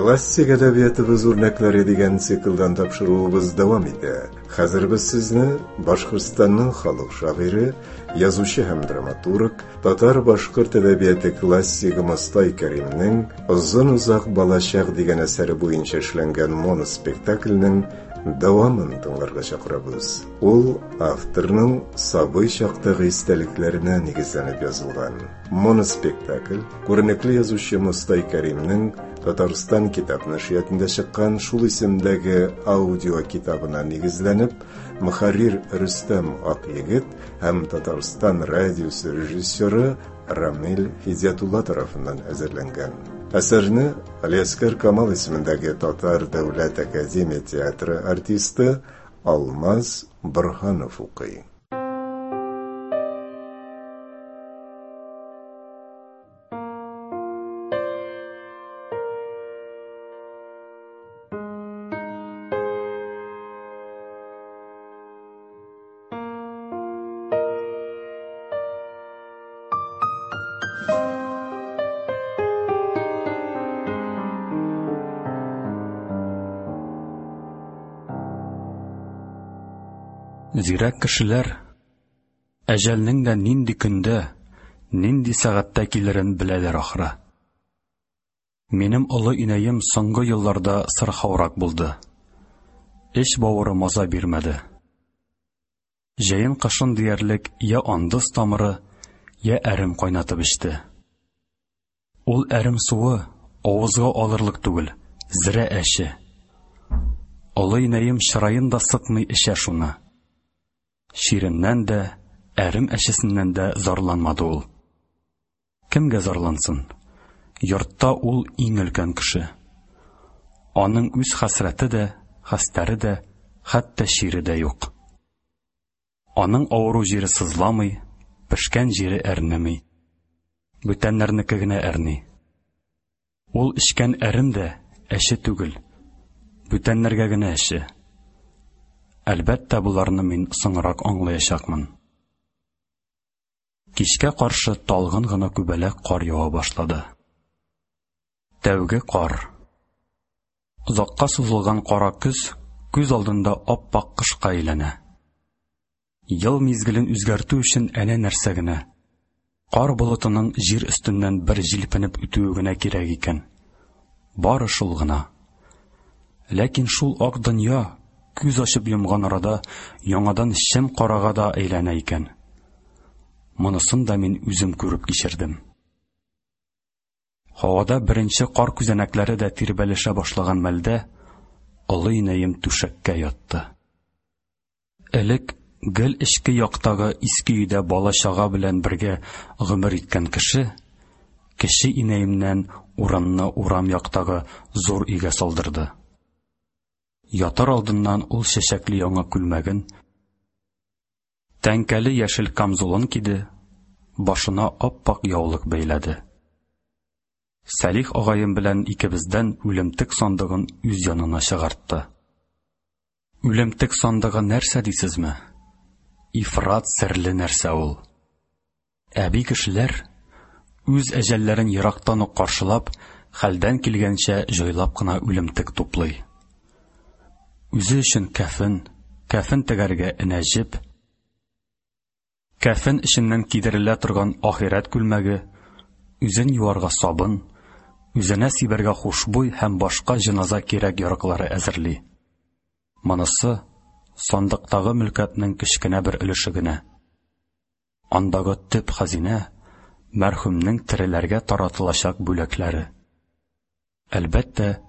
Классик әдәбиятыбыз үрнәкләре дигән циклдан тапшыруыбыз дәвам итә. Хәзер без сезне Башкортстанның халык шагыйре, язучы һәм драматург, татар-башкорт әдәбияты классигы Мостай Кәримнең Озын-озак балачак дигән әсәре буенча эшләнгән моноспектакльнең дәвамын тыңларга чакырабыз. Ул авторның сабый чактагы истәлекләренә нигезләнеп язылган. Моноспектакль күренекле язучы Мостай Кәримнең Татарстан китап нәшриятында чыккан шул исемдәге аудио китабына нигезләнеп, мөхәррир Рөстәм Акъегет һәм Татарстан радиосы режиссеры Рамил Һидиятулла тарафыннан әзерләнгән. Әсәрне Алиаскар Камал исемендәге Татар дәүләт академия театры артисты Алмаз Борһанов укый. Зирәк кешеләр әҗәлнең дә нинди көндә, нинди сәгатьтә килерен беләләр ахры. Минем олы инәем соңгы елларда сырхаурак булды. Эч-бавыры маза бирмәде. Җәен-кышын диярлек я андыз тамыры, я әрем кайнатып эчте. Ул әрем суы авызга алырлык түгел, зерә әче. Олы инәем чыраен да сытмый эчә шуны. Чиреннән дә, әрем әчесеннән дә зарланмады ул. Кемгә зарлансын? Йортта ул иң өлкән кеше. Аның үз хәсрәте дә, хәстәре дә, хәтта чире дә юк. Аның авыру җире сызламый, пешкән җире әрнеми. Бүтәннәрнеке генә әрни. Ул эчкән әрем дә әче түгел, бүтәннәргә генә әче. Әлбәттә, боларны мин соңрак аңлаячакмын. Кичкә каршы талгын гына күбәләк кар ява башлады. Тәүге кар. Озакка сузылган кара көз күз алдында ап-ак кышка әйләнә. Ел мизгелен үзгәртү өчен әнә нәрсә генә. Кар болытының җир өстеннән бер җилпенеп үтүе генә кирәк икән. Бары шул гына. Ләкин шул ак дөнья күз ачып йомган арада яңадан чем карага да әйләнә икән. Монысын да мин үзем күреп кичердем. Һавада беренче кар күзәнәкләре дә тирбәлешә башлаган мәлдә олы инәем түшәккә ятты. Элек гел эчке яктагы иске өйдә бала-чага белән бергә гомер иткән кеше, кече инәемнән урынны урам яктагы зур өйгә салдырды. Ятар алдыннан ул чәчәкле яңа күлмәген, тәңкәле яшел камзулын киде, башына ап-ак яулык бәйләде. Сәлих агаем белән икебездән үлемтек сандыгын үз янына чыгартты. Үлемтек сандыгы нәрсә дисезме? Ифрат серле нәрсә ул. Әби кешеләр үз әҗәлләрен ерактан ук каршылап, хәлдән килгәнчә җайлап кына үлемтек туплый. Үзе өчен кәфен, кәфен тегәргә энә-җеп, кәфен эченнән кидерелә торган ахирәт күлмәге, үзен юарга сабын, үзенә сибәргә хушбуй һәм башка җеназа кирәк-яраклары әзерли. Монысы сандыктагы мөлкәтнең кечкенә бер өлеше генә. Андагы төп хәзинә, мәрхүмнең тереләргә таратылачак бүләкләре. Әлбәттә,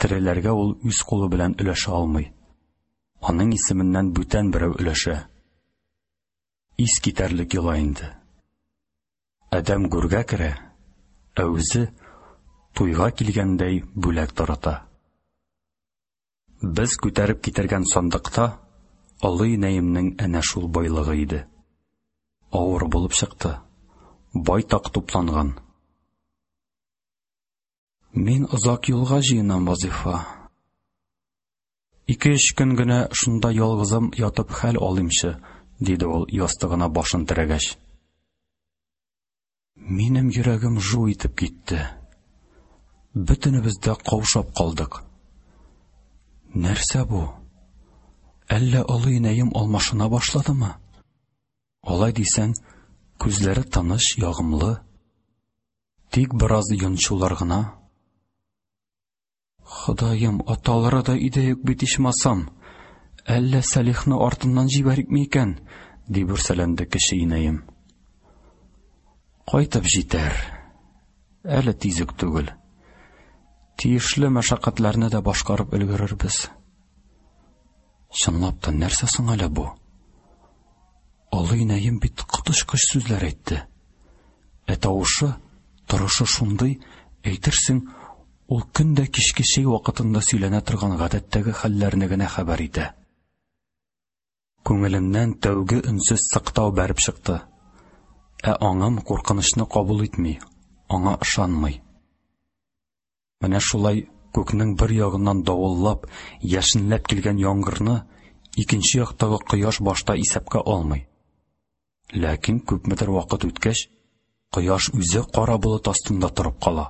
тереләргә ул үз кулы белән өләшә алмый. Аның исеменнән бүтән берәү өләшә. Ис китәрлек йола инде. Адәм гүргә керә, ә үзе туйга килгәндәй бүләк тарата. Без күтәреп китергән сандыкта олы инәемнең әнә шул байлыгы иде. Авыр булып чыкты. Байтак тупланган. Мин озак юлга җыенам, Вазифа. Ике-өч көн генә шунда ялгызым ятып хәл алыймчы, диде ул ястыгына башын терәгәч. Минем йөрәгем жу итеп китте. Бөтенебез дә каушап калдык. Нәрсә бу? Әллә олы инәем алмашына башладымы? Алай дисәң, күзләре тыныч, ягымлы. Тик бераз йончулар гына. Ходаем, аталары да өйдә юк бит ичмасам. Әллә Сәлихны артыннан җибәрикме икән? дип үрсәләнде кече инәем. Кайтып җитәр. Әле тиз үк түгел. Тиешле мәшәкатьләрне дә башкарып өлгерербез. Чынлап та нәрсә соң әле бу? Олы инәем бит коточкыч сүзләр әйтте. Ә тавышы, торышы шундый, әйтерсең, ул көн дә кичке чәй вакытында сөйләнә торган гадәттәге хәлләрне генә хәбәр итә. Күңелемнән тәүге өнсез сыктау бәреп чыкты. Ә аңым куркынычны кабул итми, аңа ышанмый. Менә шулай күкнең бер ягыннан давыллап, яшенләп килгән яңгырны икенче яктагы кояш башта исәпкә алмый. Ләкин күпмедер вакыт үткәч, кояш үзе кара болыт астында торып кала.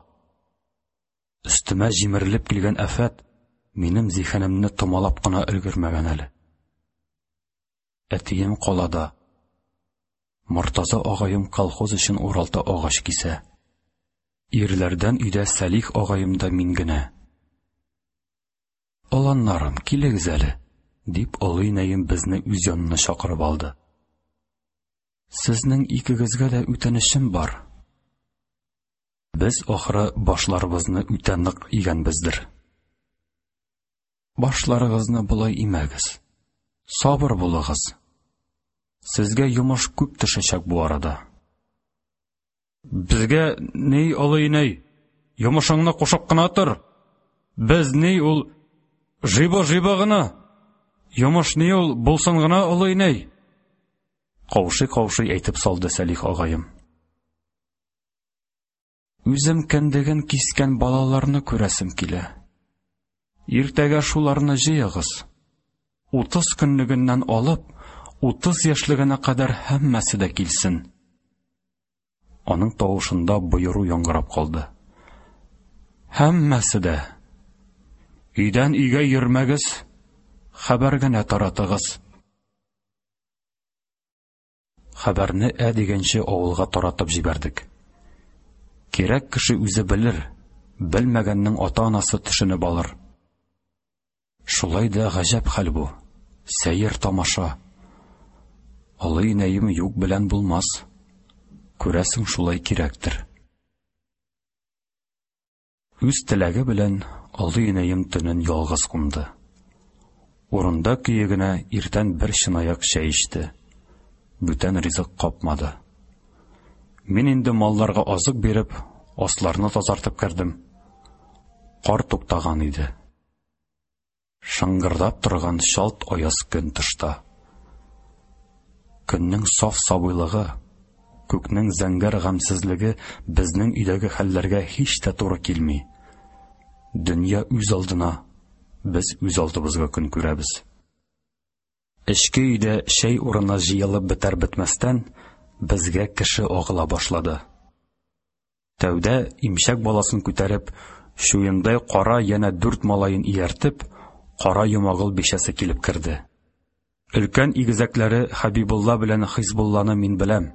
Өстемә җимерелеп килгән афәт минем зиһенемне томалап кына өлгермәгән әле. Әтием калада. Мортаза агаем колхоз өчен Уралда агач кисә. Ирләрдән өйдә Сәлих агаем да мин генә. Оланнарым, килегез әле, дип олы инәем безне үз янына чакырып алды. Сезнең икегезгә дә үтенечем бар. Без ахры башларыбызны үтә нык игәнбездер. Башларыгызны болай имәгез. Сабыр булыгыз. Сезгә йомыш күп төшәчәк бу арада. Безгә ни, олы инәй, йомышыңны кушып кына тор. Без ни ул жиба-жиба гына. Йомыш ни ул булсын гына, олы инәй. Каушый-каушый әйтеп салды Сәлих агаем. Үзем кендеген кискән балаларны күрәсем килә. Иртәгә шуларны җыегыз. 30 көнлегеннән алып, 30 яшьлегенә кадәр һәммәсе дә килсен. Аның тавышында боеру яңгырап калды. Һәммәсе дә. Өйдән өйгә йөрмәгез, хәбәр генә таратыгыз. Хәбәрне ә дигәнче авылга таратып җибәрдек. Кирәк кеше үзе белер, белмәгәннең ата-анасы төшенеп алыр. Шулай да гаҗәп хәл бу. Сәер тамаша. Олы инәем юк белән булмас. Күрәсең, шулай кирәктер. Үз теләге белән олы инәем төнен ялгыз кунды. Урында көе генә иртән бер чынаяк чәй эчте. Бүтән ризык капмады. Мин инде малларга азык биреп, асларны тазартып кердем. Кар туктаган иде. Шыңгырдап торган чалт аяз көн тышта. Көннең саф сабыйлыгы, күкнең зәңгәр гамьсезлеге безнең өйдәге хәлләргә һич тә туры килми. Дөнья үз алдына, без үз алдыбызга көн күрәбез. Эчке өйдә чәй урыны җыелып бетәр-бетмәстән, безгә кеше агыла башлады. Тәүдә имчәк баласын күтәреп, чуендай кара янә дүрт малаен ияртеп, Кара Йомагыл бичәсе килеп керде. Өлкән игезәкләре Хәбибулла белән Хизбулланы мин беләм.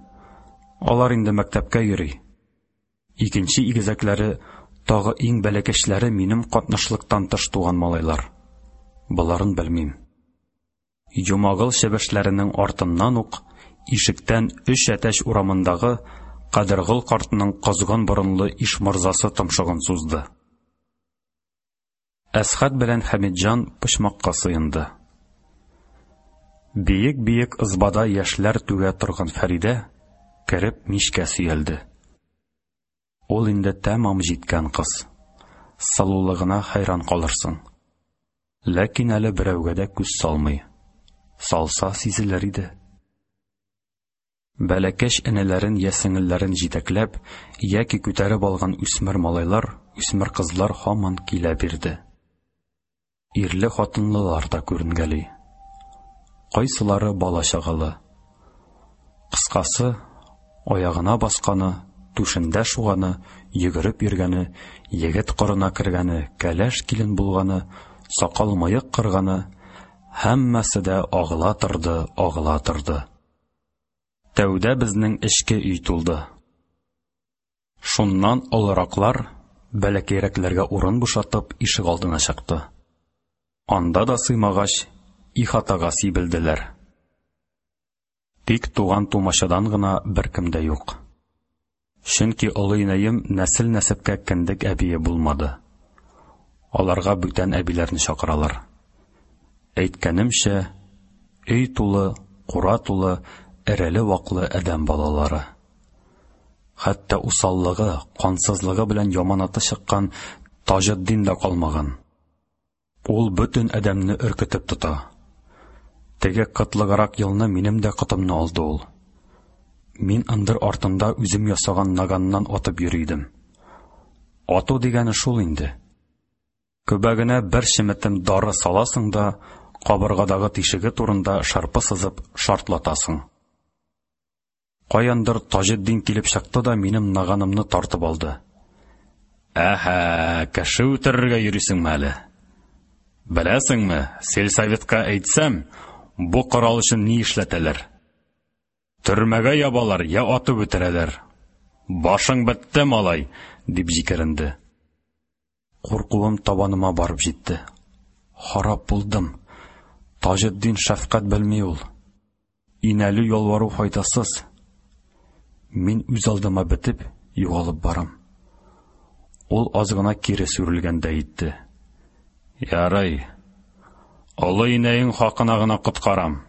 Алар инде мәктәпкә йөри. Икенче игезәкләре, тагы иң бәләкәчләре минем катнашлыктан тыш туган малайлар. Боларын белмим. Йомагыл чебешләренең артыннан ук ишектән Өч Әтәч урамындагы Кадергол картның козгын борынлы Ишморзасы томшыгын сузды. Әсхәт белән Хәмитҗан почмакка сыенды. Биек-биек ызбада яшьләр түгә торган Фәридә, кереп, мичкә сөялде. Ул инде тәмам җиткән кыз. Сылулыгына хәйран калырсың. Ләкин әле берәүгә дә күз салмый. Салса сизелер иде. Бәләкәч энеләрен я сеңелләрен җитәкләп, яки күтәреп алган үсмер малайлар, үсмер кызлар һаман килә бирде. Ирле-хатынлылар да күренгәли. Кайсылары бала-чагалы. Кыскасы, аягына басканы, түшендә шуганы, йөгереп йөргәне, егет корына кергәне, кәләш килен булганы, сакал-мыек кырганы, һәммәсе дә агыла торды, агыла торды. Тәүдә безнең эчке өй тулды. Шуннан олыраклар, бәләкәйрәкләргә урын бушатып, ишегалдына чыкты. Анда да сыймагач, ихатага сибелделәр. Тик туган-тумачадан гына беркем дә юк. Чөнки олы инәем нәсел-нәсәпкә кендек әбие булмады. Аларга бүтән әбиләрне чакыралар. Әйткәнемчә, өй тулы, кура тулы, эреле-ваклы адәм балалары. Хәтта усаллыгы, кансызлыгы белән яманаты чыккан Таҗетдин дә калмаган. Ул бөтен адәмне өркетеп тота. Теге кытлыграк елны минем дә котымны алды ул. Мин ындыр артында үзем ясаган наганнан атып йөри идем. Ату дигәне шул инде. Көбәгенә бер чеметем дары саласың да, кабыргадагы тишеге турында шырпы сызып шартлатасың. Каяндыр Таҗетдин килеп чыкты да минем наганымны тартып алды. Әһә, кеше үтерергә йөрисеңме әле? Беләсеңме, сельсоветка әйтсәм, бу корал өчен ни эшләтәләр? Төрмәгә ябалар, я атып үтерәләр. Башың бетте, малай, дип җикеренде. Куркуым табаныма барып җитте. Харап булдым. Таҗетдин шәфкать белми ул. Инәлү ялвару файдасыз. Мин үз алдыма бетеп, югалып барам. Ул аз гына кире сүрелгәндәй итте. Ярый. Олы инәең хакына гына коткарам.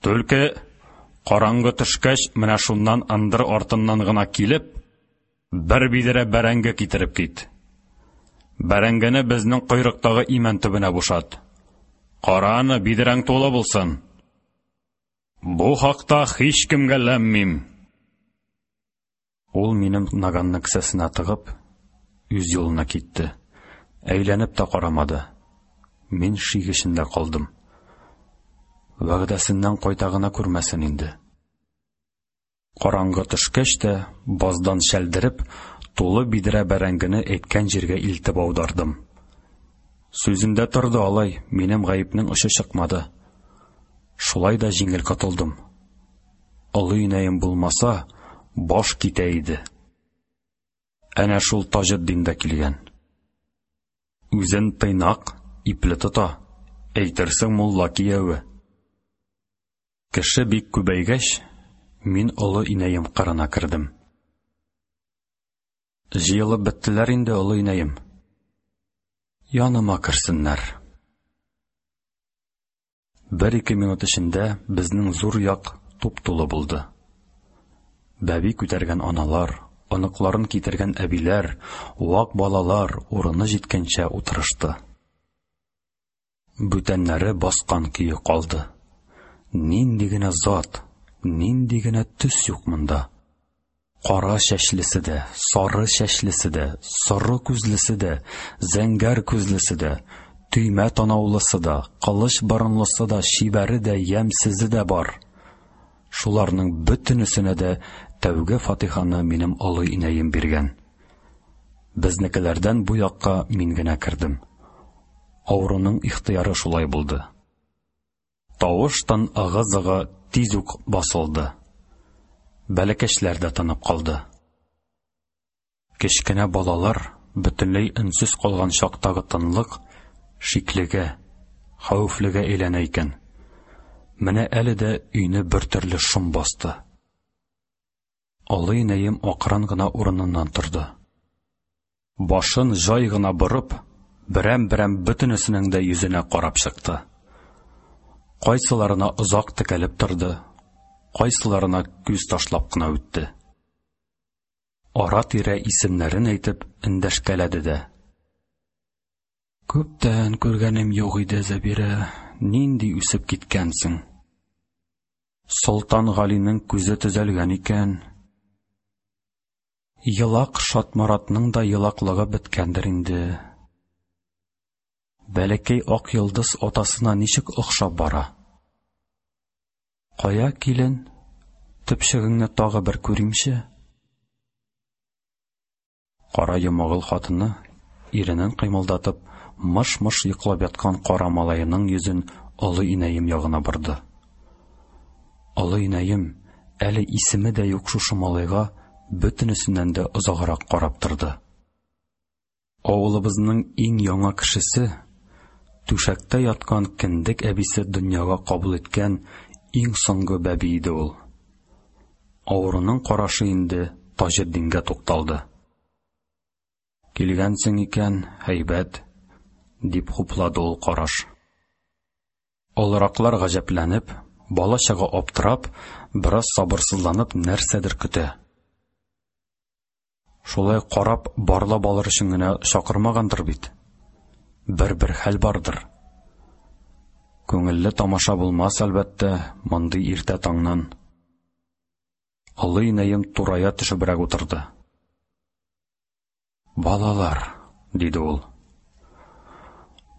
Түлке, караңгы төшкәч, менә шуннан ындыр артыннан гына килеп, бер бидрә бәрәңге китереп кит. Бәрәңгене безнең койрыктагы имән төбенә бушат. Кара аны, бидрәң тулы булсын. Бу хакта һичкемгә ләм-мим. Ул минем наганны кесәсенә тыгып, үз юлына китте. Әйләнеп тә карамады. Мин шик эчендә калдым. Вәгъдәсеннән кайта гына күрмәсен инде. Караңгы төшкәч тә, баздан чәлдереп, тулы бидрә бәрәңгене әйткән җиргә илтеп аудардым. Сүзендә торды алай, минем гаепнең очы чыкмады. Шулай да җиңел котылдым. Олы инәем булмаса, баш китә иде. Әнә шул Таҗетдин дә килгән. Үзен тыйнак, ипле тота, әйтерсең мулла кияве. Кеше бик күбәйгәч, мин олы инәем кырына кердем. Җыелып беттеләр инде, олы инәем. Яныма керсеннәр. Бер-ике минут эчендә безнең зур як туп-тулы булды. Бәби күтәргән аналар, оныкларын китергән әбиләр, вак балалар урыны җиткәнчә утырышты. Бүтәннәре баскан көе калды. Нинди генә зат, нинди генә төс юк монда. Кара чәчлесе дә, сары чәчлесе дә, соры күзлесе дә, зәңгәр күзлесе дә, төймә танаулысы да, кылыч борынлысы да, чибәре дә, ямьсезе дә бар. Шуларның бөтенесенә дә тәүге фатиханы минем олы инәем биргән. Безнекеләрдән бу якка мин генә кердем. Авыруның ихтыяры шулай булды. Тавыш-тын ыгы-зыгы тиз үк басылды. Бәләкәчләр дә тынып калды. Кечкенә балалар бөтенләй өнсез калган чактагы тынлык шиклегә, хәвефлегә әйләнә икән. Менә әле дә өйне бертөрле шом басты. Олы инәем акрын гына урыныннан торды. Башын җай гына борып, берәм-берәм бөтенесенең дә йөзенә карап чыкты. Кайсыларына озак текәлеп торды, кайсыларына күз ташлап кына үтте. Ара-тирә исемнәрен әйтеп эндәшкәләде дә. Күптән күргәнем юк иде, Зәбирә, нинди үсеп киткәнсең. Солтан Галинең күзе төзәлгән икән. Елак Шатморатның да елаклыгы беткәндер инде. Бәләкәй ак йолдыз атасына ничек охшап бара. Кая, килен, төпчегеңне тагы бер күримче. Кара Йомагыл хатыны, иренен кыймылдатып, мыш-мыш йоклап яткан кара малаеның йөзен олы инәем ягына борды. Олы инәем, әле исеме дә юк шушы малайга, бөтенесеннән дә озаграк карап торды. Авылыбызның иң яңа кешесе, түшәктә яткан кендек әбисе дөньяга кабул иткән иң соңгы бәби иде ул. Авыруның карашы инде Таҗетдингә тукталды. Килгәнсең икән, һәйбәт, дип хуплады ул караш. Олыраклар гаҗәпләнеп, бала-чага аптырап, бераз сабырсызланып нәрсәдер көтә. Шулай карап, барлап алыр өчен генә чакырмагандыр бит. Бер-бер хәл бардыр. Күңелле тамаша булмас, әлбәттә, мондый иртә таңнан. Олы инәем турая төшебрәк утырды. Балалар, диде ул.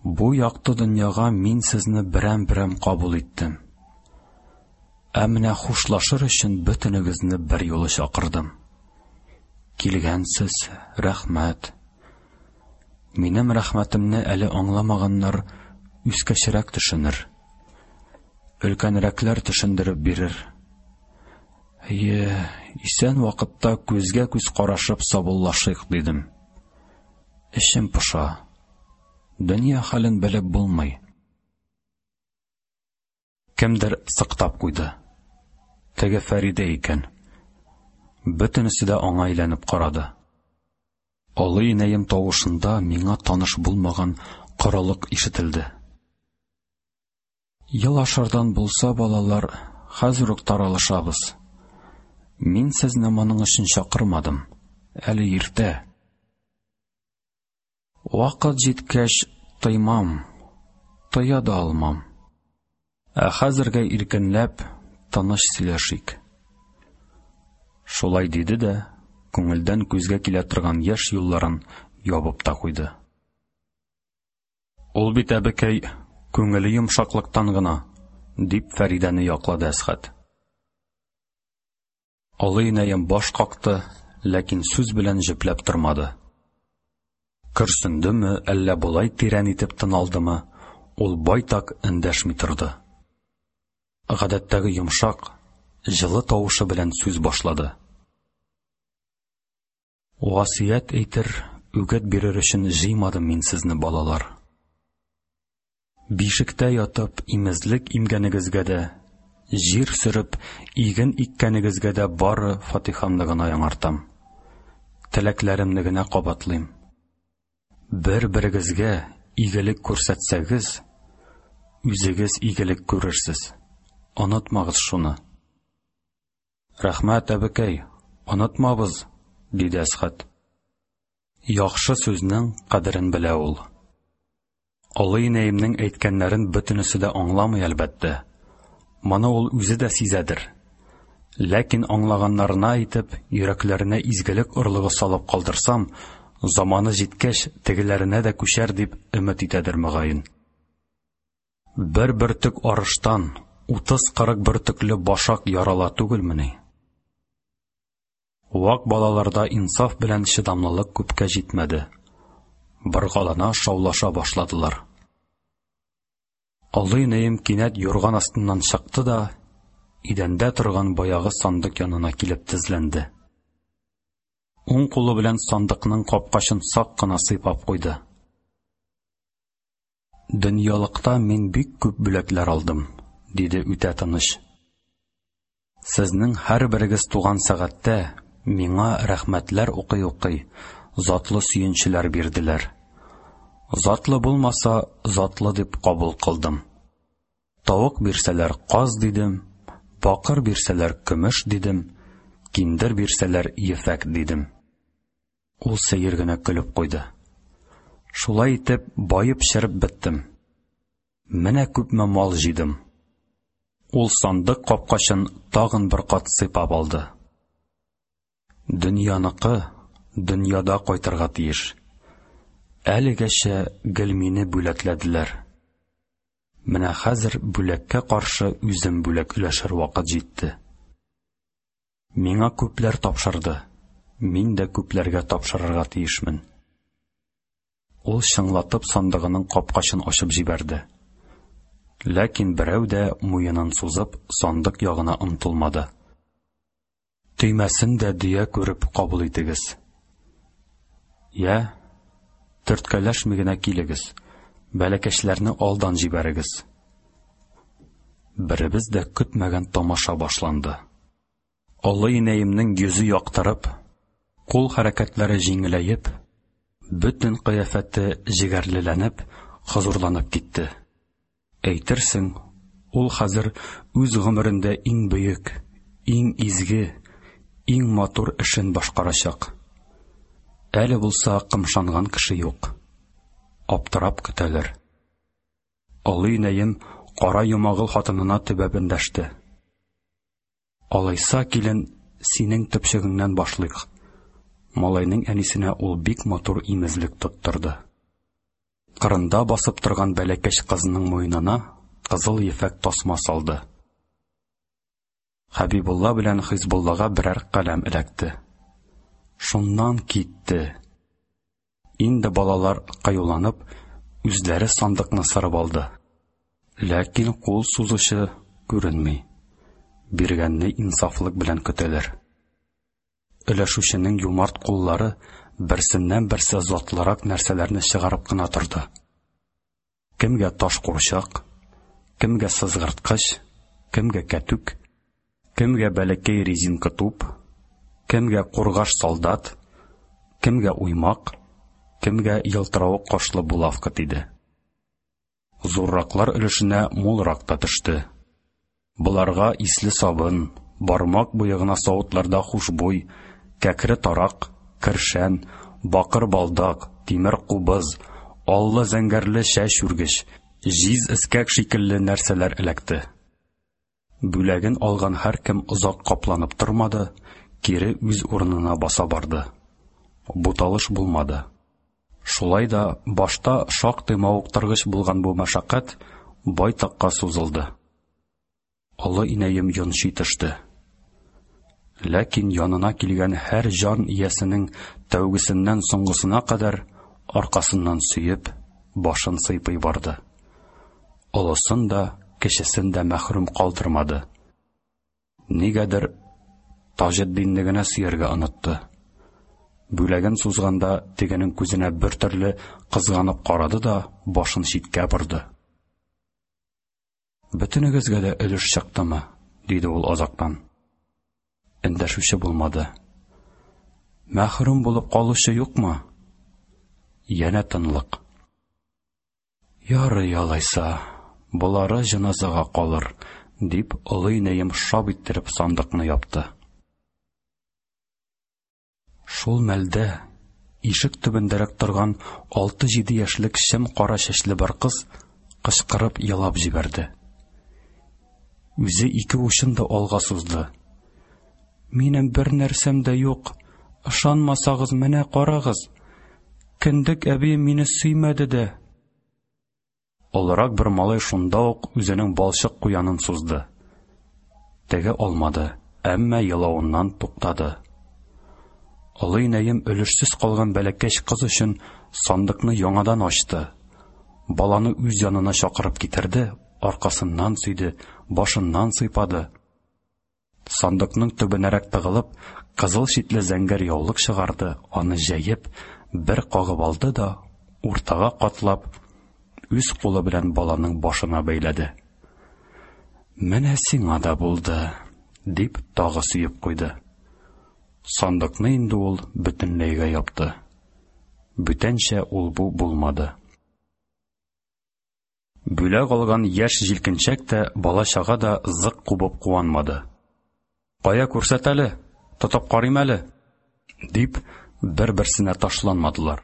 Бу якты дөньяга мин сезне берәм-берәм кабул иттем. Ә менә хушлашыр өчен бөтенегезне бер юлы чакырдым. Килгәнсез, рәхмәт. Минем рәхмәтемне әле аңламаганнар үскәчрәк төшенер. Өлкәнрәкләр төшендереп бирер. Әйе, исән вакытта күзгә күз карашып сабуллашыйк, дидем. Эчем поша. Дөнья хәлен белеп булмый. Кемдер сыктап куйды. Теге Фәридә икән. Бөтенесе дә аңа әйләнеп карады. Олы инәем тавышында миңа таныш булмаган корылык ишетелде. Елашырдан булса, балалар, хәзер үк таралышабыз. Мин сезне моның өчен чакырмадым. Әле иртә. Вакыт җиткәч, тыймам, тыя да алмам. Ә хәзергә иркенләп, тыныч сөйләшик. Шулай диде дә, күңелдән күзгә килә торган яшь юлларын ябып та куйды. Ул бит, әбекәй, күңеле йомшаклыктан гына, дип Фәридәне яклады Әсхәт. Олы инәем баш какты, ләкин сүз белән җөпләп тормады. Көрсендеме, әллә болай тирән итеп тын алдымы, ул байтак эндәшми торды. Гадәттәге йомшак, җылы тавышы белән сүз башлады. Васыять әйтер, үгет бирер өчен җыймадым мин сезне, балалар. Бишектә ятып, имезлек имгәнегезгә дә, җир сөреп, иген иккәнегезгә дә бары фатихамны гына яңартам. Теләкләремне генә кабатлыйм. Бер-берегезгә игелек күрсәтсәгез, үзегез игелек күрерсез. Онытмагыз шуны. Рәхмәт, әбекәй, онытмабыз, диде Әсхәт. Яхшы сүзнең кадерен белә ул. Олы инәемнең әйткәннәрен бөтенесе дә аңламый, әлбәттә. Моны ул үзе дә сизәдер. Ләкин аңлаганнарына әйтеп, йөрәкләренә изгелек орлыгы салып калдырсам, заманы җиткәч, тегеләренә дә күчәр дип өмет итәдер, мөгаен. Бер бөртек арыштан 30-40 бөртекле башак ярала түгелмени? Вак балаларда инсаф белән чыдамлылык күпкә җитмәде. Боргалана, шаулаша башладылар. Олы инәем кинәт юрган астыннан чыкты да, идәндә торган баягы сандык янына килеп тезләнде. Уң кулы белән сандыкның капкачын сак кына сыйпап куйды. Дөньялыкта мин бик күп бүләкләр алдым, диде үтә тыныч. Сезнең һәрберегез туган сәгатьтә миңа рәхмәтләр укый-укый затлы сөенчеләр бирделәр. Затлы булмаса, затлы дип кабул кылдым. Тавык бирсәләр, каз дидем, бакыр бирсәләр, көмеш дидем, киндер бирсәләр, ефәк дидем. Ул сәер генә көлеп куйды. Шулай итеп, баеп череп беттем. Менә күпме мал җыйдым. Ул сандык капкачын тагын бер кат сыйпап алды. Дөньяныкы дөньяда кайтырга тиеш. Әлегәчә гел мине бүләкләделәр. Менә хәзер бүләккә каршы үзем бүләк өләшер вакыт җитте. Миңа күпләр тапшырды. Мин дә күпләргә тапшырырга тиешмен. Ул чыңлатып сандыгының капкачын ачып җибәрде. Ләкин берәү дә муенын сузып сандык ягына омтылмады. Төймәсен дә дөя күреп кабул итегез. Я, төрткәләшми генә килегез, бәләкәчләрне алдан җибәрегез. Беребез дә көтмәгән тамаша башланды. Олы инәемнең йөзе яктырып, кул хәрәкәтләре җиңеләеп, бөтен кыяфәте җегәрлеләнеп, хозурланып китте. Әйтерсең, ул хәзер үз гомерендә иң бөек, иң изге, иң матур эшен башкарачак. Әле булса кымшанган кеше юк. Аптырап көтәләр. Олы инәем кара Йомагыл хатынына төбәп эндәште. Алайса, килен, синең төпчегеңнән башлыйк. Малайның әнисенә ул бик матур имезлек тоттырды. Кырында басып торган бәләкәч кызның муенына кызыл ефәк тасма салды. Хәбибулла белән Хизбуллага берәр каләм эләкте. Шуннан китте. Инде балалар кыюланып, үзләре сандыкны сырып алды. Ләкин кул сузучы күренми. Биргәнне инсафлык белән көтәләр. Өләшүченең юмарт куллары берсеннән-берсе затлырак нәрсәләрне чыгарып кына торды. Кемгә таш курчак, кемгә сызгырткыч, кемгә кәтүк, кемгә бәләкәй резинка туп, кемгә кургаш солдат, кемгә уймак, кемгә елтыравык кашлы булавка тиде. Зурраклар өлешенә мулрак та төште. Боларга исле сабын, бармак буе гына савытларда хушбуй, кәкре тарак, кершән, бакыр балдак, тимер кубыз, аллы-зәңгәрле чәч үргеч, җиз эскәк шикелле нәрсәләр эләкте. Бүләген алган һәркем озак капланып тормады, кире үз урынына баса барды. Буталыш булмады. Шулай да башта шактый мавыктыргыч булган бу мәшәкать байтакка сузылды. Олы инәем йончый төште. Ләкин янына килгән һәр җан иясенең тәүгесеннән соңгысына кадәр аркасыннан сөеп, башын сыйпый барды. Олысын да, кечесен дә мәхрүм калдырмады. Нигәдер Таҗетдинне генә сөяргә онытты. Бүләген сузганда тегенең күзенә бертөрле кызганып карады да башын читкә борды. Бөтенегезгә дә өлеш чыктымы? диде ул азактан. Эндәшүче булмады. Мәхрүм булып калучы юкмы? Янә тынлык. Ярый алайса, болары җеназага калыр, дип олы инәем шап иттереп сандыкны япты. Шул мәлдә ишек төбендәрәк торган алты-җиде яшьлек чем кара чәчле бер кыз кычкырып елап җибәрде. Үзе ике учын да алга сузды. Минем бер нәрсәм дә юк. Ышанмасагыз, менә карагыз. Кендек әбием мине сөймәде дә. Олырак бер малай шунда ук үзенең балчык куянын сузды. Теге алмады, әмма елавыннан туктады. Олы инәем өлешсез калган бәләкәч кыз өчен сандыкны яңадан ачты. Баланы үз янына чакырып китерде, аркасыннан сөйде, башыннан сыйпады. Сандыкның төбенәрәк тыгылып, кызыл читле зәңгәр яулык чыгарды, аны җәеп, бер кагып алды да, уртага катлап, үз кулы белән баланың башына бәйләде. Менә сиңа да булды, дип тагы сөеп куйды. Сандыкны инде ул бөтенләйгә япты. Бүтәнчә ул-бу булмады. Бүләк алган яшь җилкенчәк тә, бала-чага да зык кубып куанмады. Кая күрсәт әле, тотып карыйм әле, дип, бер-берсенә ташланмадылар.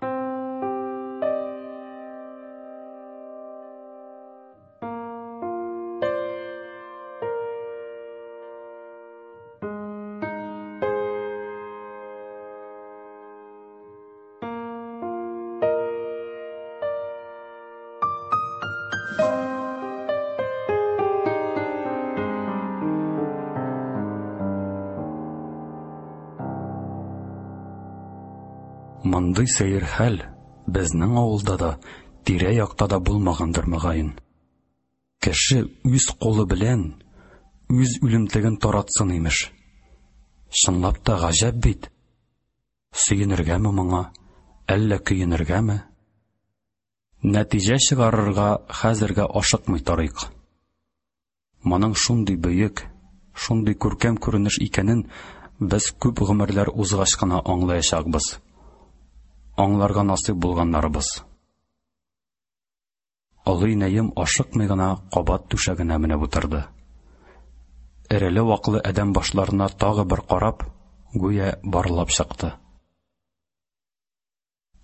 Мондый сәер хәл безнең авылда да, тирә-якта да булмагандыр, мөгаен. Кеше үз кулы белән үз үлемтеген таратсын, имеш. Чынлап та гаҗәп бит. Сөенергәме моңа, әллә көенергәме? Нәтиҗә чыгарырга хәзергә ашыкмый торыйк. Моның шундый бөек, шундый күркәм күренеш икәнен без күп гомерләр узгач кына аңлаячакбыз. Аңларга насыйп булганнарыбыз. Олы инәем ашыкмый гына кабат түшәгенә менеп утырды. Эреле-ваклы адәм башларына тагы бер карап, гүя барлап чыкты.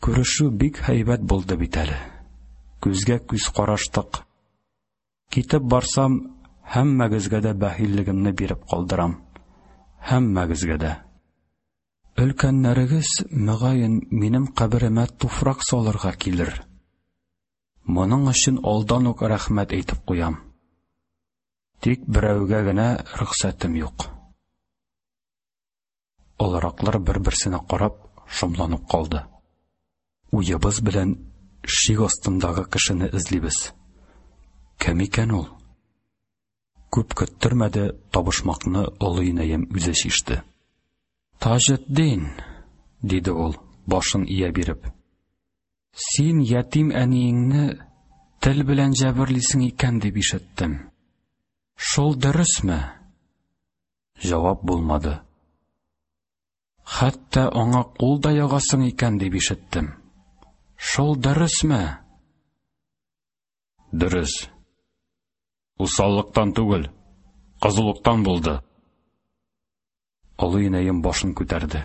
Күрешү бик һәйбәт булды бит әле. Күзгә күз караштык. Китеп барсам, һәммәгезгә дә бәхиллегемне биреп калдырам. Һәммәгезгә дә. Өлкәннәрегез, мөгаен, минем каберемә туфрак салырга килер. Моның өчен алдан ук рәхмәт әйтеп куям. Тик берәүгә генә рөхсәтем юк. Олыраклар бер-берсенә карап, шомланып калды. Уебыз белән шик астындагы кешене эзлибез. Кем икән ул? Күп көттермәде, табышмакны олы инәем үзе чиште. Таҗетдин, диде ул, башын ия биреп. Син ятим әниеңне тел белән җәберлисең икән дип ишеттем. Шул дөресме? Җавап булмады. Хәтта аңа кул да ягасың икән дип ишеттем. Шул дөресме? Дөрес. Усаллыктан түгел, кызулыктан булды. Олы инәем башын күтәрде.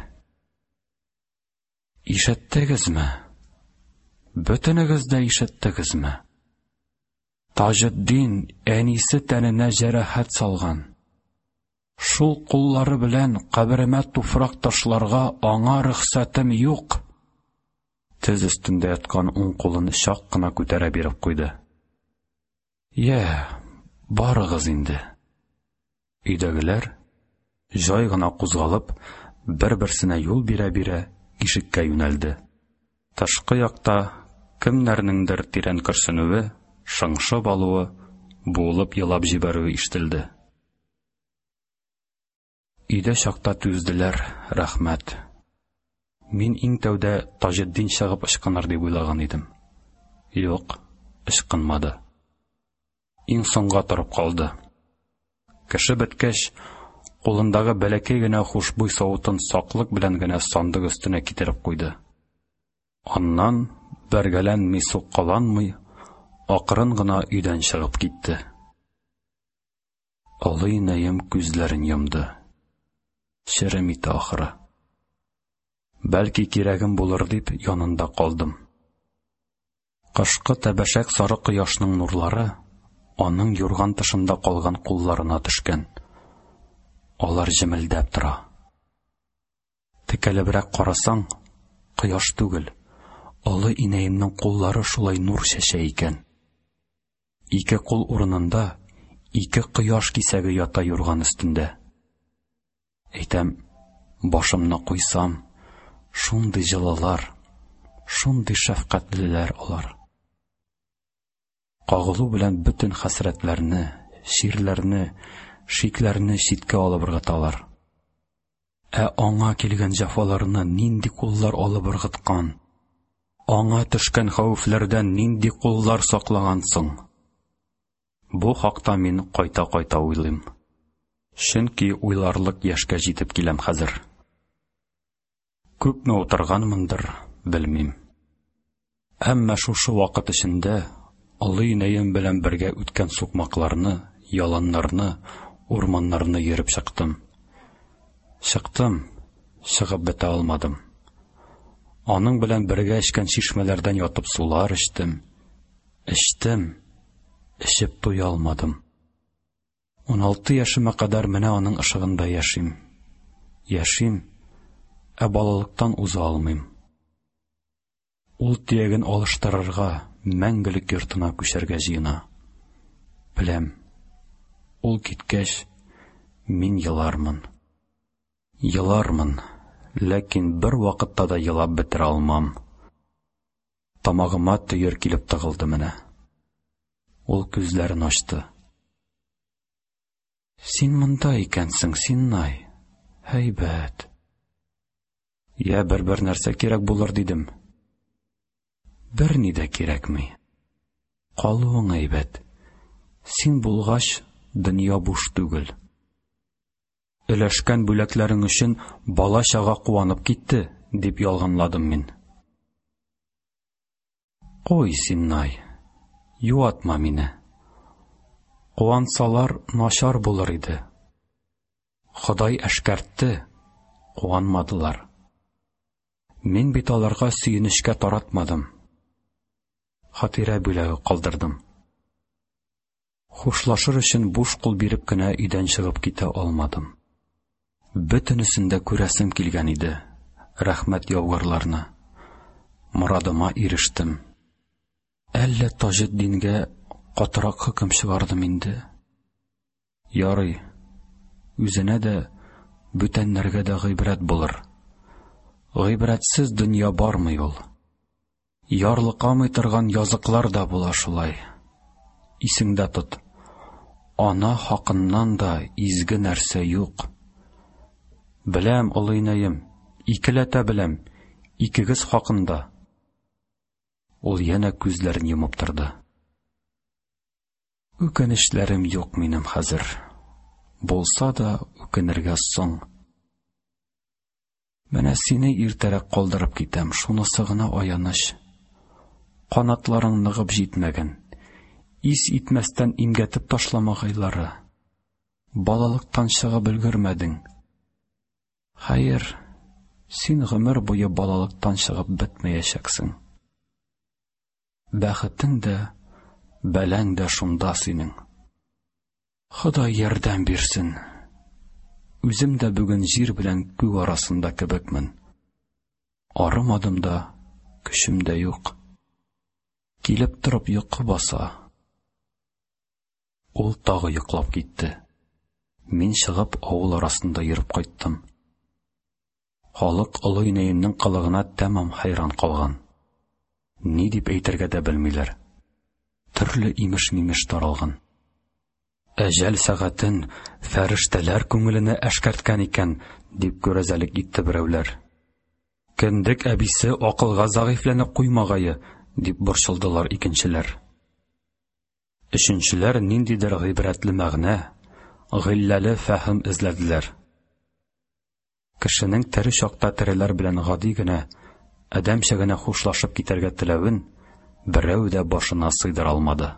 Ишеттегезме? Бөтенегез дә ишеттегезме? Таҗетдин әнисе тәненә җәрәхәт салган. Шул куллары белән каберемә туфрак ташларга аңа рөхсәтем юк. Тез өстендә яткан уң кулын чак кына күтәрә биреп куйды. Йә, барыгыз инде. Өйдәгеләр, җай гына кузгалып, бер-берсенә юл бирә-бирә, ишеккә юнәлде. Тышкы якта кемнәрнеңдер тирән көрсенүе, шыңшып алуы, буылып елап җибәрүе ишетелде. Өйдә чакта түзделәр, рәхмәт. Мин иң тәүдә Таҗетдин чыгып ычкыныр дип уйлаган идем. Юк, ычкынмады. Иң соңга торып калды. Кеше беткәч, кулындагы бәләкәй генә хушбуй савытын саклык белән генә сандык өстенә китереп куйды. Аннан, бәргәләнми, суккаланмый, акрын гына өйдән чыгып китте. Олы инәем күзләрен йомды. Черем итә ахры. Бәлки кирәгем булыр дип янында калдым. Кышкы тәбәшәк сары кояшның нурлары аның юрган тышында калган кулларына төшкән. Алар җемелдәп тора. Текәлебрәк карасаң, кояш түгел, олы инәемнең куллары шулай нур чәчә икән. Ике кул урынында ике кояш кисәге ята юрган өстендә. Әйтәм, башымны куйсам, шундый җылылар, шундый шәфкатьлеләр алар. Кагылу белән бөтен хәсрәтләрне, чирләрне, шикләрне читкә алып ыргыталар. Ә аңа килгән җәфаларны нинди куллар алып ыргыткан? Аңа төшкән хәвефләрдән нинди куллар саклаган соң? Бу хакта мин кайта-кайта уйлыйм. Чөнки уйларлык яшькә җитеп киләм хәзер. Күпме утырганмындыр, белмим. Әмма шушы вакыт эчендә олы инәем белән бергә үткән сукмакларны, яланнарны, урманнарны йөреп чыктым. Чыктым, чыгып бетә алмадым. Аның белән бергә эчкән чишмәләрдән ятып сулар эчтем. Эчтем, эчеп туя алмадым. 16 яшемә кадәр менә аның ышыгында яшим. Яшим, ә балалыктан уза алмыйм. Ул төяген алыштырырга, мәңгелек йортына күчәргә җыена. Беләм, ул киткәч, мин елармын. Елармын, Ләкин бервакытта да елап бетерә алмам. Тамагыма төер килеп тыгылды менә. Ул күзләрен ачты. Син монда икәнсең, Синнай. Һәйбәт. Я бер-бер нәрсә кирәк булыр дидем. Берни дә кирәкми. Калуың әйбәт. Син булгач, дөнья буш түгел. Өләшкән бүләкләрең өчен бала-чага куанып китте, дип ялганладым мин. Куй, Синнай, юатма мине. Куансалар, начар булыр иде. Ходай әшкәртте, куанмадылар. Мин бит аларга сөенечкә таратмадым. Хатирә бүләге калдырдым. Хушлашыр өчен буш кул биреп кенә өйдән чыгып китә алмадым. Бөтенесен дә күрәсем килгән иде, рәхмәт яугырларны. Морадыма ирештем. Әллә Таҗетдингә катырак хөкем чыгардым инде. Ярый, үзенә дә, бүтәннәргә дә гыйбрәт булыр. Гыйбрәтсез дөнья бармый ул. Ярлыкамый торган языклар да була шулай. Исеңдә тот, ана хакыннан да изге нәрсә юк. Беләм, олы инәем, икеләтә беләм, икегез хакында. Ул янә күзләрен йомып торды. Үкенечләрем юк минем хәзер. Булса да, үкенергә соң. Менә сине иртәрәк калдырып китәм, шунысы гына аяныч. Канатларың ныгып җитмәгән. Ис итмәстән имгәтеп ташламагайлары. Балалыктан чыгып өлгермәдең. Хәер, син гомер буе балалыктан чыгып бетмәячәксең. Бәхетең дә, бәләң дә шунда синең. Ходай ярдәм бирсен. Үзем дә бүген җир белән күк арасында кебекмен. Арымадым да, көчем дә юк. Килеп торып йокы баса. Ул тагы йоклап китте. Мин чыгып авыл арасында йөреп кайттым. Халык олы инәемнең кылыгына тәмам хәйран калган. Ни дип әйтергә дә белмиләр. Төрле имеш-мимеш таралган. Әҗәл сәгатен фәрештәләр күңеленә әшкәрткән икән, дип күрәзәлек итте берәүләр. Кендек әбисе акылга зәгыйфьләнеп куймагае, дип борчылдылар икенчеләр. Өченчеләр ниндидер гыйбрәтле мәгънә, гыйлләле фәһем эзләделәр. Кешенең тере чакта тереләр белән гади генә, адәмчә генә хушлашып китәргә теләвен берәү дә башына сыйдыра алмады.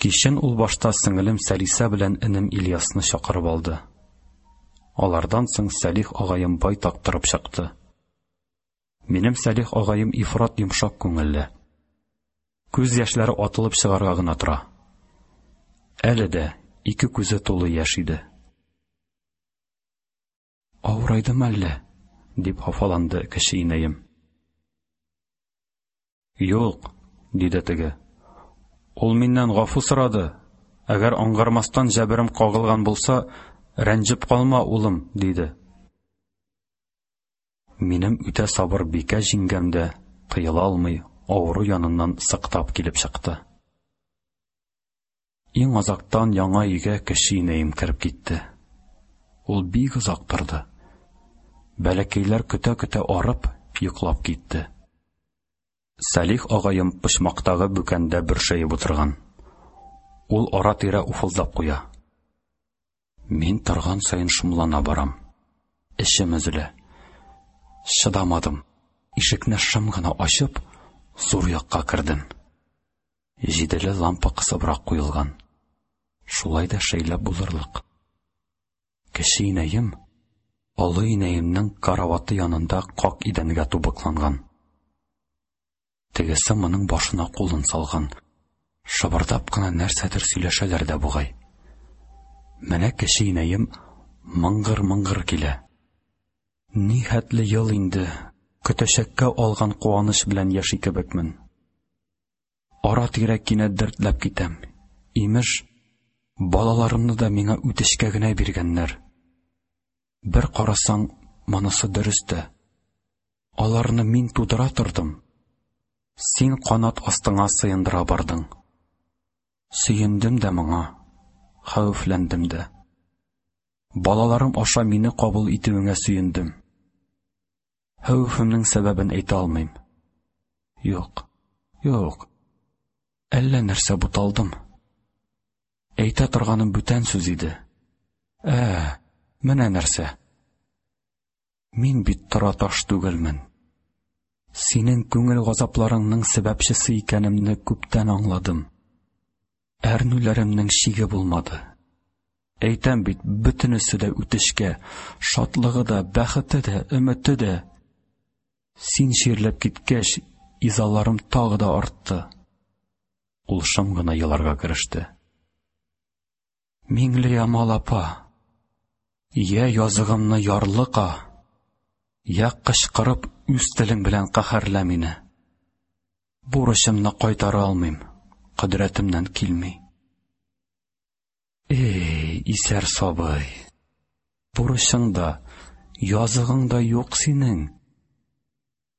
Кичен ул башта сеңелем Сәлисә белән энем Ильясны чакырып алды. Алардан соң Сәлих агаем байтак торып чыкты. Минем Сәлих агаем ифрат йомшак күңелле. Күз яшьләре атылып чыгарга гына тора. Әле дә ике күзе тулы яшь иде. Авырайдым әллә? дип хафаланды кече инәем. Юк, диде теге. Ул миннән гафу сорады. Әгәр аңгармастан җәберем кагылган булса, рәнҗеп калма, улым, диде. Минем үтә сабыр бикә җиңгәм дә тыела алмый, авыру яныннан сыктап килеп чыкты. Иң азактан яңа өйгә кече инәем кереп китте. Ул бик озак торды. Бәләкәйләр көтә-көтә арып, йоклап китте. Сәлих агаем почмактагы бүкәндә бөршәеп утырган. Ул ара-тирә уфылдап куя. Мин торган саен шомлана барам. Эчем өзелә. Чыдамадым. Ишекне шым гына ачып, зур якка кердем. Җиделе лампа кысыбрак куелган. Шулай да шәйләп булырлык. Кече инәем олы инәемнең караваты янында как идәнгә тубыкланган. Тегесе моның башына кулын салган. Шыбырдап кына нәрсәдер сөйләшәләр дә бугай. Менә кече инәем мыңгыр-мыңгыр килә. Ни хәтле ел инде көтәчәккә алган куаныч белән яши кебекмен. Ара-тирә кинәт дертләп китәм. Имеш, балаларымны да миңа үтешкә генә биргәннәр. Бер карасаң, монысы дөрес тә. Аларны мин тудыра тордым. Син канат астыңа сыендыра бардың. Сөендем дә моңа, хәвефләндем дә. Балаларым аша мине кабул итүеңә сөендем. Хәвефемнең сәбәбен әйтә алмыйм. Юк, юк. Әллә нәрсә буталдым. Әйтә торганым бүтән сүз иде. Ә, менә нәрсә. Мин бит тораташ түгелмен. Синең күңел газапларыңның сәбәпчесе икәнемне күптән аңладым. Әрнүләремнең чиге булмады. Әйтәм бит, бөтенесе дә үтешкә, шатлыгы да, бәхете дә, өмете дә. Син чирләп киткәч, изаларым тагы да артты. Ул шым гына еларга кереште. Миңлеямал апа, йә языгымны ярлыка, йә кычкырып үз телең белән каһәрлә мине. Бурычымны кайтара алмыйм, кодрәтемнән килми. Эй, исәр сабый, бурычың да, языгың да юк синең.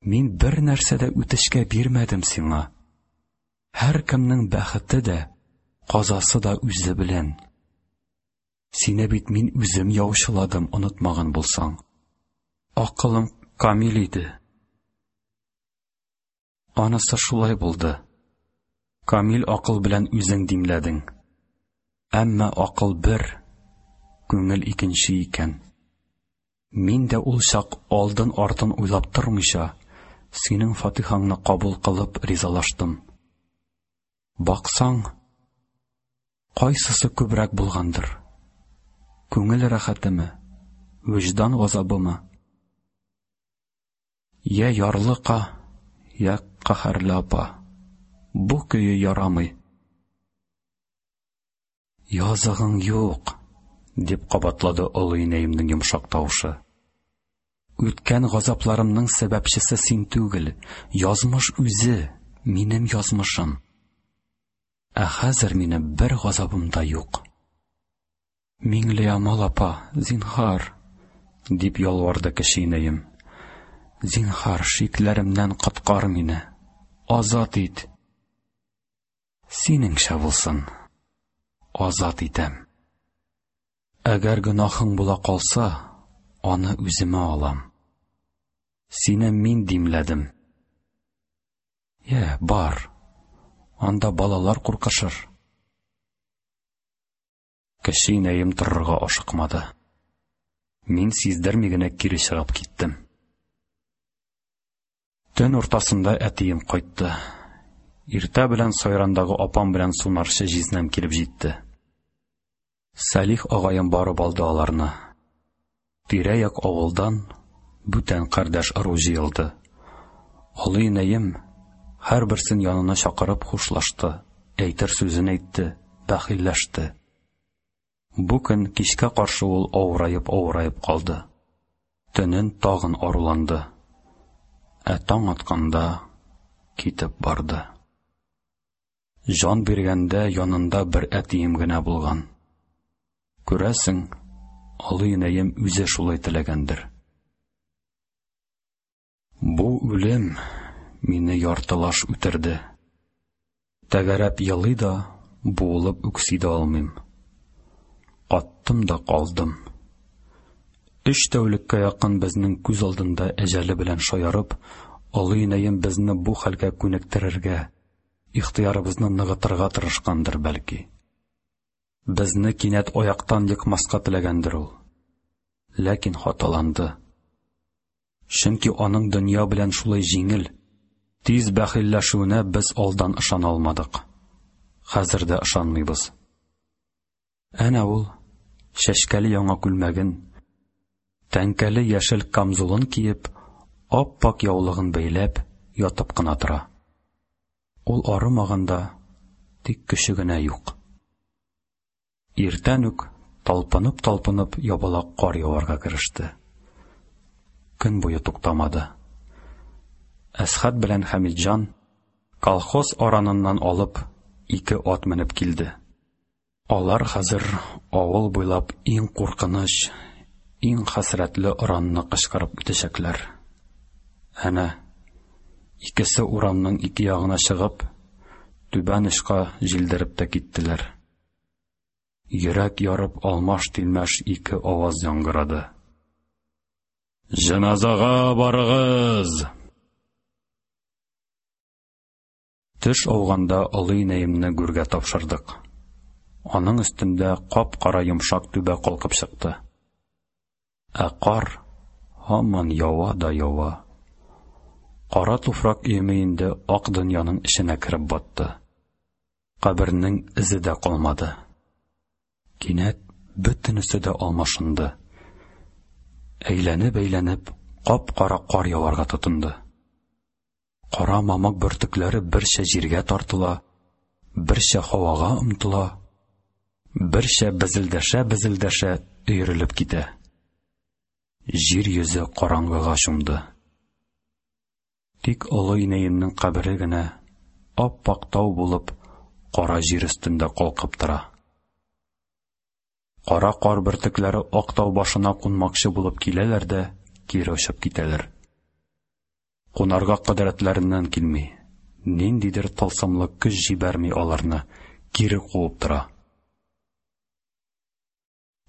Мин бер нәрсә дә үтешкә бирмәдем сиңа. Һәркемнең бәхете дә, казасы да үзе белән. Сине бит мин үзем яучыладым, онытмаган булсаң. Акылым камил иде. Анысы шулай булды. Камил акыл белән үзең димләдең. Әмма акыл бер, күңел икенче икән. Мин дә ул чак алдын-артын уйлап тормыйча, синең фатихаңны кабул кылып ризалаштым. Баксаң, кайсысы күбрәк булгандыр? Күңел рәхәтеме, вөҗдан газабымы? Йә ярлыка, йә каһәрле апа. Бу көе ярамый. Языгың юк, дип кабатлады олы инәемнең йомшак тавышы. Үткән газапларымның сәбәпчесе син түгел, язмыш үзе, минем язмышым. Ә хәзер минем бер газабым да юк. Миңлеямал апа, зинһар, дип ялварды кече инәем. Зинһар, шикләремнән коткар мине. Азат ит. Синеңчә булсын. Азат итәм. Әгәр гөнаһың була калса, аны үземә алам. Сине мин димләдем. Йә, бар. Анда балалар куркышыр. Кече инәем торырга ашыкмады. Мин сиздерми генә кире чыгып киттем. Төн уртасында әтием кайтты. Иртә белән Сайрандагы апам белән сунарчы җизнәм килеп җитте. Сәлих агаем барып алды аларны. Тирә-як авылдан бүтән кардәш ыру җыелды. Олы инәем һәрберсен янына чакырып хушлашты, әйтер сүзен әйтте, бәхилләште. Бу көн кичкә каршы ул авыраеп-авыраеп калды. Төнен тагын аруланды. Ә таң атканда китеп барды. Җан биргәндә янында бер әтием генә булган. Күрәсең, олы инәем үзе шулай теләгәндер. Бу үлем мине яртылаш үтерде. Тәгәрәп елый да, буылып үкси дә алмыйм. Каттым да калдым. Өч тәүлеккә якын безнең күз алдында әҗәле белән шаярып, олы инәем безне бу хәлгә күнектерергә, ихтыярыбызны ныгытырга тырышкандыр бәлки. Безне кинәт аяктан екмаска теләгәндер ул. Ләкин хаталанды. Чөнки аның дөнья белән шулай җиңел, тиз бәхилләшүенә без алдан ышана алмадык. Хәзер дә ышанмыйбыз. Әнә ул, чәчкәле яңа күлмәген, тәңкәле яшел камзулын киеп, ап-ак яулыгын бәйләп, ятып кына тора. Ул арымаган да, тик көче генә юк. Иртән үк талпынып-талпынып ябалак кар яварга кереште. Көн буе туктамады. Әсхәт белән Хәмитҗан колхоз араныннан алып ике ат менеп килде. Алар хәзер авыл буйлап иң куркыныч, Иң хәсрәтле оранны кычкырып үтәчәкләр. Әнә, икесе урамның ике ягына чыгып, түбән очка җилдереп тә киттеләр. Йөрәк ярып алмаш-тилмәш ике аваз яңгырады. Җеназага барыгыз! Төш ауганда олы инәемне гүргә тапшырдык. Аның өстендә кап-кара йомшак түбә калкып чыкты. Ә кар һаман ява да ява. Кара туфрак өеме инде ак дөньяның эченә кереп батты. Кабернең эзе дә калмады. Кинәт бөтенесе дә алмашынды. Әйләнеп-әйләнеп кап-кара кар яварга тотынды. Кара мамык бөртекләре берчә җиргә тартыла, берчә һавага омтыла, берчә безелдәшә-безелдәшә өерелеп китә. Җир йөзе караңгыга чумды. Тик олы инәемнең кабере генә ап-ак тау булып кара җир өстендә калкып тора. Кара кар бөртекләре ак тау башына кунмакчы булып киләләр дә кире очып китәләр. Кунарга кодрәтләреннән килми, ниндидер тылсымлы көч җибәрми аларны, кире куып тора.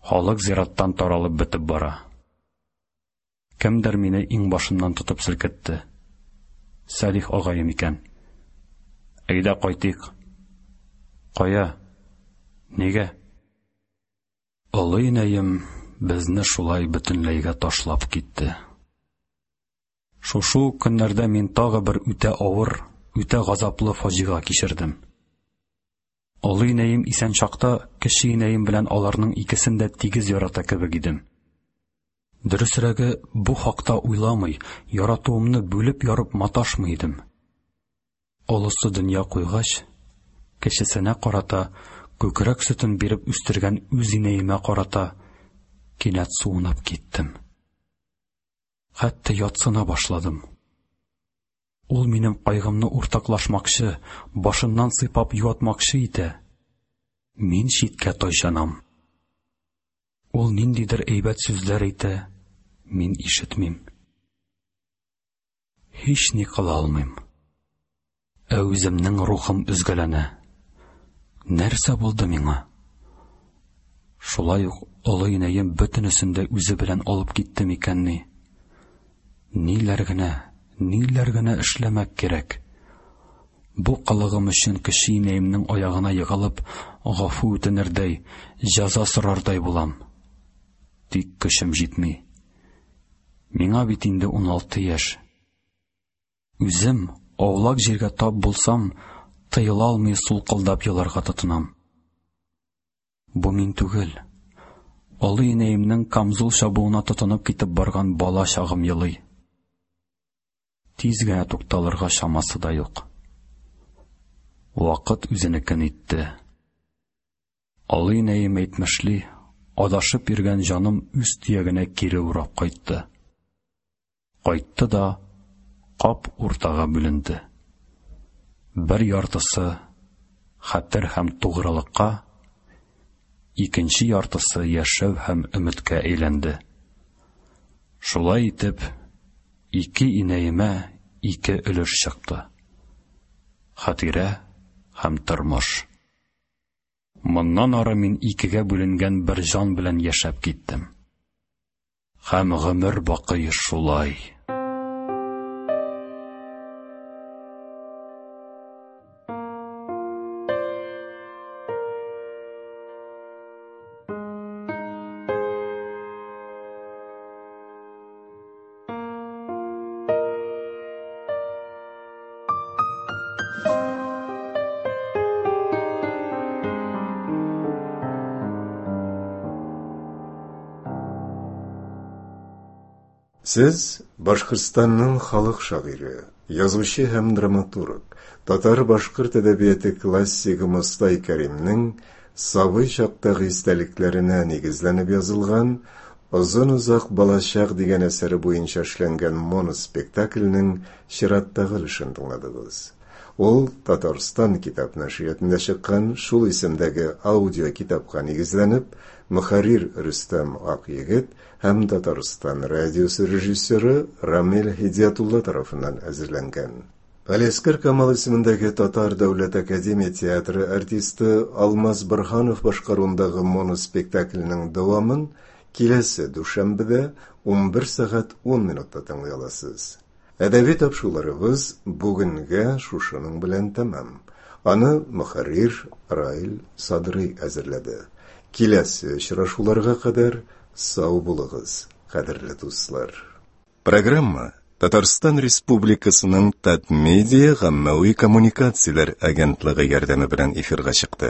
Халык зираттан таралып бетеп бара. Кемдер мине иңбашымнан тотып селкетте. Сәлих агаем икән. Әйдә кайтыйк. Кая? Нигә? Олы инәем безне шулай бөтенләйгә ташлап китте. Шушы ук көннәрдә мин тагы бер үтә авыр, үтә газаплы фаҗига кичердем. Олы инәем исән чакта кече инәем белән аларның икесен дә тигез ярата кебек идем. Дөресрәге, бу хакта уйламый, яратуымны бүлеп-ярып маташмый идем. Олысы дөнья куйгач, кечесенә карата, күкрәк сөтен биреп үстергән үз инәемә карата кинәт суынып киттем. Хәтта ятсына башладым. Ул минем кайгымны уртаклашмакчы, башыннан сыйпап юатмакчы итә. Мин читкә тайчанам. Ул ниндидер әйбәт сүзләр әйтә, мин ишетмим. Һич ни кыла алмыйм. Ә үземнең рухым өзгәләнә. Нәрсә булды миңа? Шулай ук олы инәем бөтенесен дә үзе белән алып китте микәнни? Ниләр генә, ниләр генә эшләмәк кирәк? Бу кылыгым өчен кече инәемнең аягына егылып, гафу үтенердәй, җәза сорардай булам. Тик көчем җитми. Миңа бит инде 16 яшь. Үзем, аулак җиргә тап булсам, тыела алмый сулкылдап еларга тотынам. Бу мин түгел. Олы инәемнең камзул чабуына тотынып китеп барган бала чагым елый. Тиз генә тукталырга чамасы да юк. Вакыт үзенекен итте. Олы инәем әйтмешли, адашып йөргән җаным үз төягенә кире урап кайтты. Кайтты да кап уртага бүленде. Бер яртысы хәтер һәм тугрылыкка, икенче яртысы яшәү һәм өметкә әйләнде. Шулай итеп, ике инәемә ике өлеш чыкты. Хатирә һәм тормыш. Моннан ары мин икегә бүленгән бер җан белән яшәп киттем. Һәм гомер бакый шулай. Сез Башкортстанның халык шагыйре, язучы һәм драматург, татар-башкорт әдәбияты классигы Мостай Кәримнең сабый чактагы истәлекләренә нигезләнеп язылган Озын-озак балачак дигән әсәре буенча эшләнгән моноспектакльнең чираттагы өлешен тыңладыгыз. Ул Татарстан китап нәшриятында чыккан шул исемдәге аудиокитапка нигезләнеп, мөхәррир Рөстәм Акъегет һәм Татарстан радиосы режиссеры Рамил Һидиятулла тарафыннан әзерләнгән. Галиәсгар Камал исемендәге Татар дәүләт академия театры артисты Алмаз Борһанов башкаруындагы моноспектакльнең дәвамын киләсе дүшәмбедә 11 сәгать 10 минутта тыңлый аласыз. Әдәби тапшыруларыбыз бүгенгә шушының белән тәмам. Аны мөхәррир Раил Садрый әзерләде. Киләсе очрашуларга кадәр сау булыгыз, кадерле дуслар. Программа Татарстан Республикасының Татмедиа гаммәви коммуникацияләр агентлыгы ярдәме белән эфирга чыкты.